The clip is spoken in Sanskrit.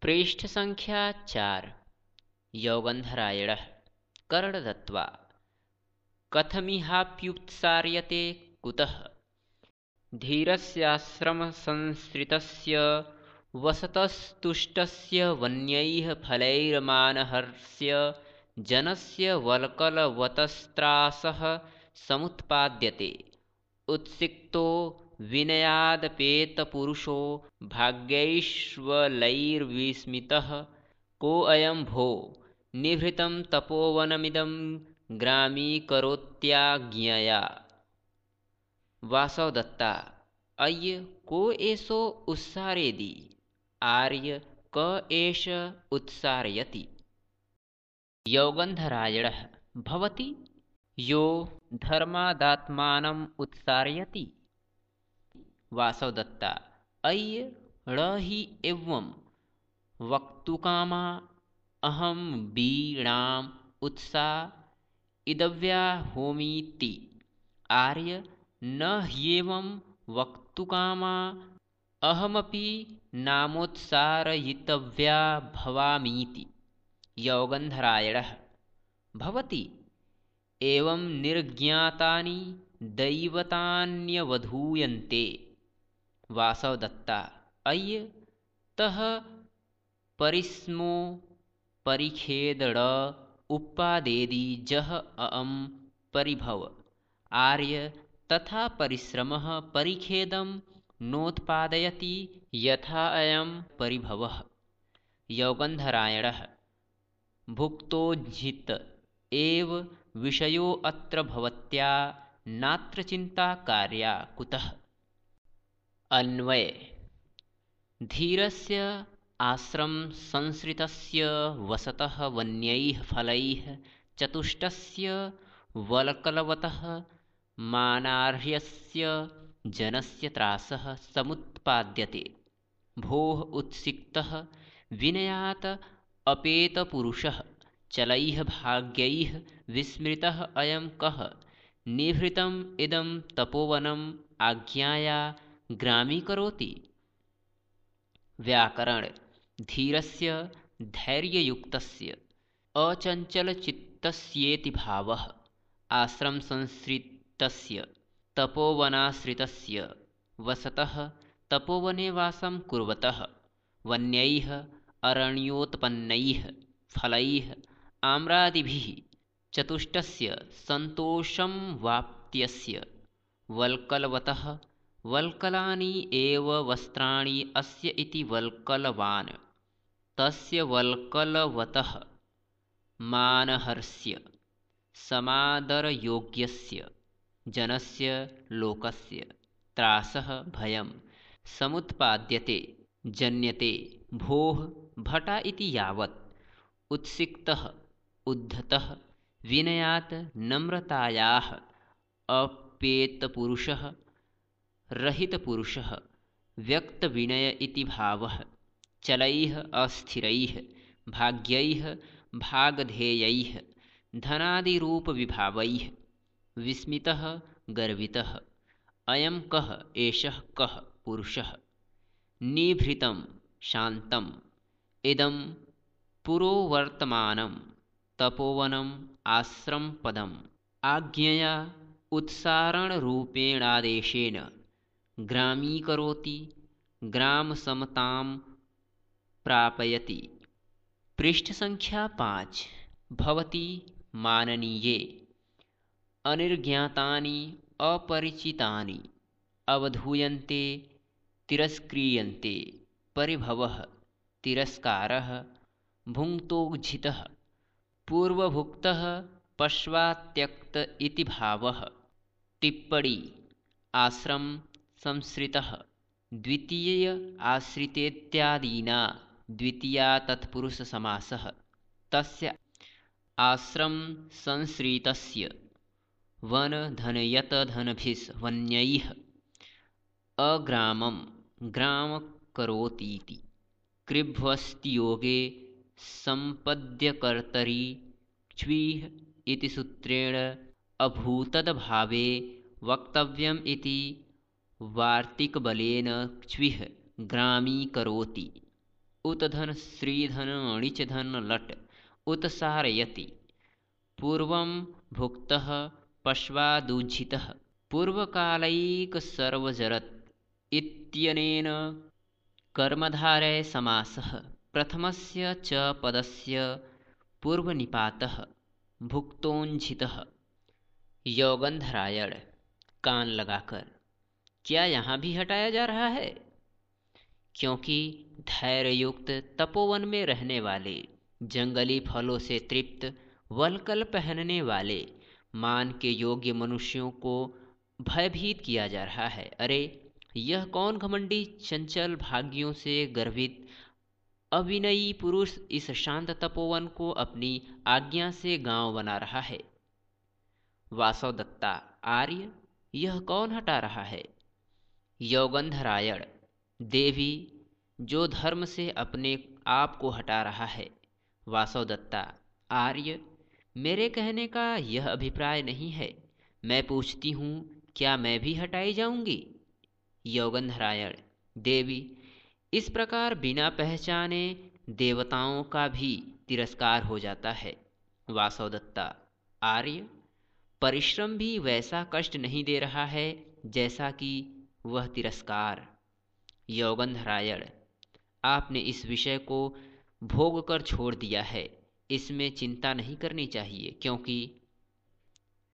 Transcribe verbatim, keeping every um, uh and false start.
पृष्ठसङ्ख्या चार। यौगन्धरायणः कर्णदत्त्वा कथमिहाप्युत्सार्यते कुतः धीरस्याश्रमसंसृतस्य वसतस्तुष्टस्य वन्यैः फलैर्मानहर्ष्य जनस्य वल्कलवतस्त्रासः समुत्पाद्यते। उत्सिक्तो विनयादपेतपुरुषो भाग्यैश्वलैर्विस्मितः कोऽयं भो निभृतं तपोवनमिदं ग्रामीकरोत्याज्ञया। वासवदत्ता अय्य को एषो उत्सारयति। आर्य क एष उत्सारयति। यौगन्धरायणः भवति यो धर्मादात्मानम् उत्सारयति। वासवदत्ता अय्य ण हि एवं वक्तुकामा अहं वीणाम् उत्सारयितव्याहोमीति। आर्य न ह्येवं वक्तुकामा अहमपि नामोत्सारयितव्या भवामीति। यौगन्धरायणः भवति एवं निर्ज्ञातानि दैवतान्यवधूयन्ते। वासवदत्ता अय्य तः परिस्मो परिखेदड उपादेदि जह अअं परिभव। आर्य तथा परिश्रमः परिखेदं नोत्पादयति यथा अयं परिभवः। यौगन्धरायणः भुक्तोज्झित एव विषयो अत्र भवत्या नात्र चिन्ता कार्या कुतः। अन्वय धीरस्य आश्रम संसृतस्य वसतः वन्यैः फलैः चतुष्टस्य वल्कलवतः मानार्ह्यस्य जनस्य त्रासः समुत्पाद्यते। भोः उत्सिक्तः विनयात् अपेतपुरुषः चलैः भाग्यैः विस्मृतः अयं कः निभृतम् इदं तपोवनम् आज्ञाया ग्रामीकरोति। व्याकरण धीरस्य धैर्ययुक्तस्य अचञ्चलचित्तस्येति भावः। आश्रमसंसृतस्य तपोवनाश्रितस्य वसतः तपोवने वासं कुर्वतः वन्यैः अरण्योत्पन्नैः फलैः आम्रादिभिः चतुष्टस्य सन्तोषं वाप्त्यस्य वल्कलवतः वल्कलानि एव वस्त्राणि अस्य इति वल्कलवान् तस्य वल्कलवतः मानहर्ष्य समादरयोग्यस्य जनस्य लोकस्य त्रासः भयं समुत्पाद्यते जन्यते। भोः भटा इति यावत् उत्सिक्तः उद्धतः विनयात् नम्रतायाः अपेतपुरुषः रहितपुरुषः व्यक्तविनय इति भावः। चलैः अस्थिरैः भाग्यैः भागधेयैः धनादिरूपविभावैः विस्मितः गर्वितः अयं कः एषः कः पुरुषः निभृतं शान्तम् इदं पुरोवर्तमानं तपोवनम् आश्रमपदम् आज्ञया उत्सारणरूपेणादेशेन ग्रामीकरोति ग्रामसमतां प्रापयति। पृष्ठसङ्ख्या पाँच। भवति माननीये अनिर्ज्ञातानि अपरिचितानि अवधूयन्ते तिरस्क्रियन्ते। परिभवः तिरस्कारः भुङ्क्तोज्झितः पूर्वभुक्तः पश्चात्त्यक्त इति भावः। टिप्पणी आश्रम संसृतः द्वितीय आश्रितेत्यादीना द्वितीया तत्पुरुषसमासः। तस्य आश्रम संसृतस्य वन धनयत धनभिस् वन्यैः अग्रामं ग्राम करोतीति। कृभ्वस्तियोगे सम्पद्यकर्तरि क्ष्वीः इति सूत्रेण अभूतदभावे वक्तव्यम् इति वार्तिकबलेन क्ष्वीः ग्रामीकरोति। उत धन श्रीधन णिच धन लट उत सारयति पूर्वं भुक्तः पश्वादूझितः पूर्वकालैकसर्वजरत् इत्यनेन कर्मधारय समासः प्रथमस्य च पदस्य पूर्वनिपातः भुक्तोंझितः। यौगंधरायण कान लगाकर, क्या यहाँ भी हटाया जा रहा है? क्योंकि धैर्ययुक्त तपोवन में रहने वाले, जंगली फलों से तृप्त वल्कल पहनने वाले मान के योग्य मनुष्यों को भयभीत किया जा रहा है। अरे यह कौन घमंडी चंचल भाग्यों से गर्वित अविनयी पुरुष इस शांत तपोवन को अपनी आज्ञा से गांव बना रहा है? वासवदत्ता आर्य, यह कौन हटा रहा है? यौगंधरायण देवी, जो धर्म से अपने आप को हटा रहा है। वासवदत्ता आर्य, मेरे कहने का यह अभिप्राय नहीं है। मैं पूछती हूँ, क्या मैं भी हटाई जाऊंगी? यौगंधरायण देवी, इस प्रकार बिना पहचाने देवताओं का भी तिरस्कार हो जाता है। वासवदत्ता आर्य, परिश्रम भी वैसा कष्ट नहीं दे रहा है जैसा कि वह तिरस्कार। यौगंधरायण, आपने इस विषय को भोग कर छोड़ दिया है, इसमें चिंता नहीं करनी चाहिए, क्योंकि